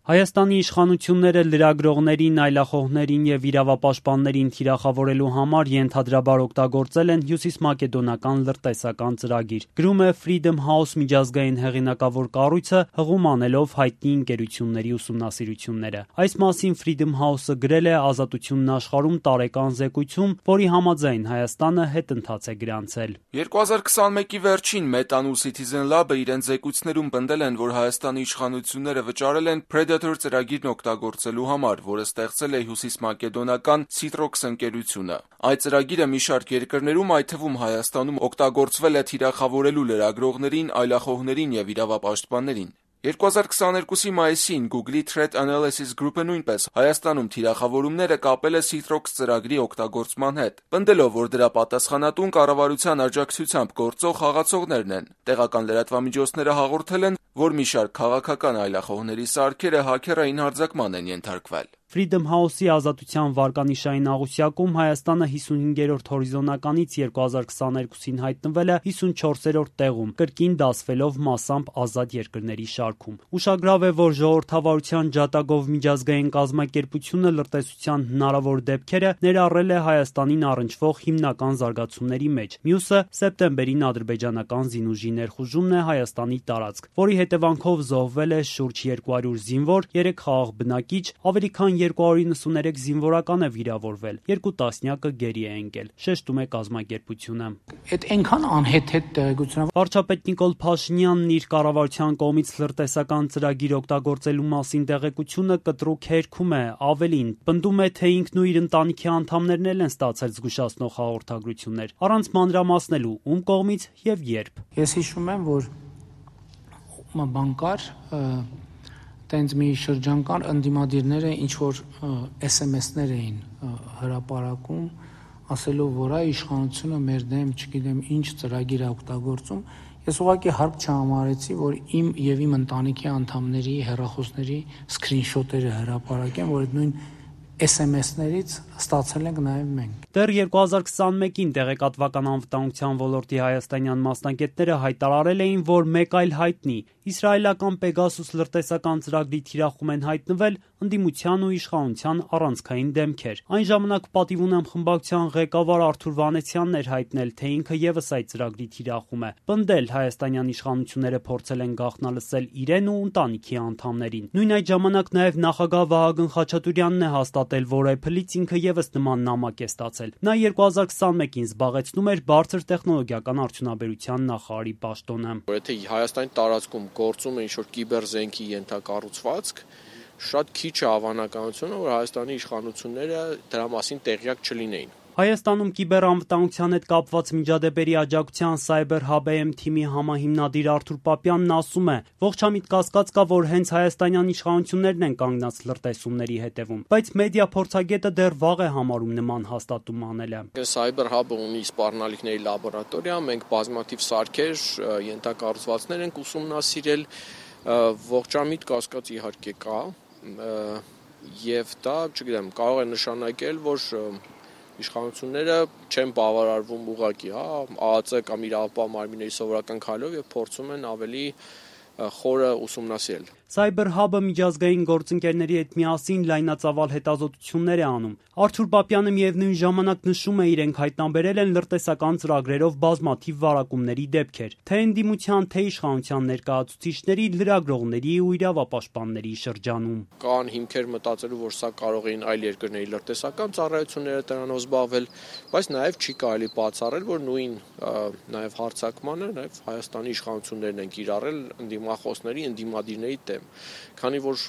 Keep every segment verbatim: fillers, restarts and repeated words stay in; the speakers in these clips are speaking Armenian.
Հայաստանի իշխանությունները լրագրողներին, այլախոհներին և իրավապաշտպաններին թիրախավորելու համար ենթադրաբար օգտագործել են հյուսիսմակեդոնական լրտեսական ծրագիր, գրում է Freedom House միջազգային հեղինակավոր կառույցը, հղում անելով հայտնի ընկերությունների ուսումնասիրությունները։ Այս մասին Freedom House-ը գրել է Ազատությունն աշխարհում տարեկան զեկույցում, որի համաձայն Հայաստանը հետընթաց է գրանցել։ երկու հազար քսանմեկի վերջին Meta-ն ու Citizen Lab-ը իրենց զեկույցներում պնդել են, որ Հայաստանի իշխանությունները վճարել են Predator ծրագիրն օգտագործելու համար, որը ստեղծել է հյուսիսմակեդոնական Citrox ընկերությունը։ Այդ ծրագիրը մի շարք երկրներում, այդ թվում Հայաստանում, օգտագործվել է թիրախավորելու լրագրողներին, այլախոհներին և իրավապաշտպաններին։ երկու հազար քսաներկուսի մայիսին Google-ի Threat Analysis Group-ը նույնպես Հայաստանում թիրախավորումները կապել է Citrox ծրագրի օգտագործման հետ, պնդելով, որ դրա պատասխանատուն կառավարության աջակցությամբ գործող խաղացողներն են։ Տեղական լրատվամիջոցները հաղորդել են, որ մի շարք քաղաքական այլախոհների սարքերը հաքերային հարձակման են ենթարկվել։ Freedom House-ի ազատության վարկանիշային աղյուսակում Հայաստանը հիսունհինգերորդ հորիզոնականից երկու հազար քսաներկուսին հայտնվել է հիսունչորսերորդ տեղում, կրկին դասվելով մասամբ ազատ երկրների շարքում։ Ուշագրավ է, որ ժողովրդավարության ջատագով միջազգային կազմակերպությունը լրտեսության հնարավոր դեպքերը ներառել է Հայաստանին առնչվող հիմնական զարգացումների մեջ։ Մյուսը սեպտեմբերին ադրբեջանական զինուժի ներխուժումն է Հայաստանի տարածք, որի հետևանքով զոհվել է շուրջ երկու հարյուր զինվոր, երեք խաղաղ բնակիչ, ավելի քան երկու հարյուր իննսուներեք զինվորական է վիրավորվել, երկու տասնյակը գերի է ընկել, շեշտում է կազմակերպությունը։ Այդ այնքան անհեթեթ տեղեկություն է։ Վարչապետ Նիկոլ Փաշինյանն իր կառավարության կողմից լրտեսական ծրագիր օգտագործելու մասին տեղեկությունը կտրուկ հերքում է, ավելին, պնդում է, թե ինքն ու իր ընտանիքի անդամներն էլ են ստացել զգուշացնող հաղորդագրություններ, առանց մանրամասնելու ում կողմից եւ երբ։ Ես հիշում եմ, որ բան կար, տենց մի շրջան կար, ընդդիմադիրները ինչ-որ էս էմ էսներ էին հրապարակում, ասելով, որ այ իշխանությունը մեր դեմ, չգիտեմ, ինչ ծրագիր է օգտագործում։ Ես ուղղակի հարկ չհամարեցի, որ իմ եւ իմ ընտանիքի անդամների հեռախոսների սկրինշոթերը հրապարակեն, որ այդ նույն էս էմ էսներից ստացել ենք նաև մենք։ Դեռ երկու հազար քսանմեկին տեղեկատվական անվտանգության ոլորտի հայաստանյան մասնագետները հայտարարել էին, որ մեկ այլ հայտնի իսրայելական Pegasus լրտեսական ծրագրի թիրախում են հայտնվել ընդդիմության ու իշխանության առանցքային դեմքեր։ Այն ժամանակ պատիվ ունեմ խմբակցության ղեկավար Արթուր Վանեցյանն էր հայտնել, թե ինքը եւս այդ ծրագրի թիրախում է։ Պնդել հայաստանյան իշխանությունները փորձել են գաղտնալսել իրեն ու ընտանիքի անդամներին։ Նույն այդ ժամանակ նաև նախագահ Վահագն Խաչատուրյանն է հաստատել, որ Apple-ից ինքը եւս նման նամակ է ստացել։ Նա երկու հազար քսանմեկին զբաղեցնում էր բարձր տեխնոլոգիական արդյունաբերության նախարարի պաշտոնը։ Եթե Հայաստանի տարածքում գործում է ինչ-որ կիբերզենքի ենթակառուցվածք, շատ քիչ է հավանականությունը, որ Հայաստանի իշխանությունները դրա մասին տեղյակ չլինեին։ Հայաստանում կիբերանվտանգության հետ կապված միջադեպերի աջակցության Cyber Hub Am թիմի համահիմնադիր Արթուր Պապյանն ասում է. ողջամիտ կասկած կա, որ հենց հայաստանյան իշխանություններն են կանգնած լրտեսումների հետևում, բայց մեդիա փորձագետը դեռ վաղ է համարում նման հաստատում անելը։ Cyber Hub-ը ունի սպառնալիքների լաբորատորիա, մենք բազմաթիվ սարքեր, ենթակառուցվածքներ ենք ուսումնասիրել, ողջամիտ կասկած իհարկե կա, եւ դա, չգիտեմ, կարող է նշանակել, որ իշխանությունները չեն բավարարվում ուղղակի, հա, ԱԱԾ կամ իրավապահ մարմինների սովորական քայլով եւ փորձում են ավելի խորը ուսումնասիրել։ Cyber Hub-ը միջազգային գործընկերների հետ միասին լայնածավալ հետազոտություններ է անում։ Արթուր Պապյանը միևնույն ժամանակ նշում է, իրենք հայտնաբերել են լրտեսական ծրագրերով բազմաթիվ վարակումների դեպքեր, թե ընդդիմության, թե իշխանության ներկայացուցիչների, լրագրողների ու իրավապաշտպանների շրջանում։ Կան հիմքեր մտածելու, որ սա կարող էին այլ երկրների լրտեսական ծառայությունները դրանով զբաղվել, բայց նաև չի կարելի բացառել, որ նույն նաև հարձակմանը նաև Հայաստանի իշխանություններն են կիրառել ընդդիմախոսների, ընդդիմադիրների դեմ, քանի որ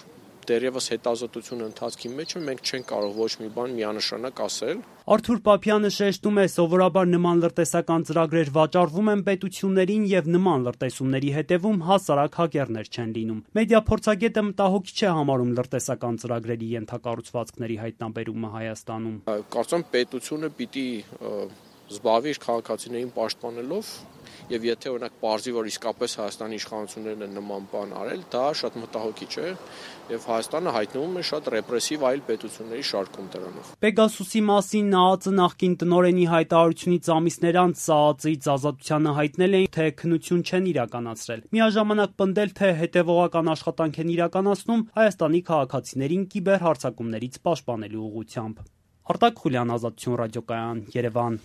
դեռևս հետազոտությունը ընթացքի մեջ է, մենք չենք կարող ոչ մի բան միանշանակ ասել։ Արթուր Պապյանը շեշտում է, սովորաբար նման լրտեսական ծրագրեր վաճառվում են պետություններին եւ նման լրտեսումների հետևում հասարակ հակերներ չեն լինում։ Մեդիա փորձագետը մտահոգիչ է համարում լրտեսական ծրագրերի ենթակառուցվածքների հայտնաբերումը Հայաստանում։ Կարծում եմ պետությունը պիտի զբաղվի իր քաղաքացիներին պաշտպանելով, եւ եթե օրինակ պարզի, որ իսկապես Հայաստանի իշխանություններն են նման բան արել, դա շատ մտահոգիչ է եւ Հայաստանը հայտնվում է շատ ռեպրեսիվ այլ պետությունների շարքում դրանով։ Պեգասուսի մասին ՆԱԱԾ նախկին տնօրենի հայտարարությունից ամիսներ անց ՍԱԱԾ-ից ազատությանը հայտնել էին, թե քննություն չեն իրականացրել։ Միաժամանակ պնդել, թե հետևողական աշխատանք են իրականացնում Հայաստանի քաղաքացիներին կիբերհարձակումներից պաշտպանելու ուղղությամբ։ Արտակ Խուլյան, Ազատություն ռադիոկայան, Երևան։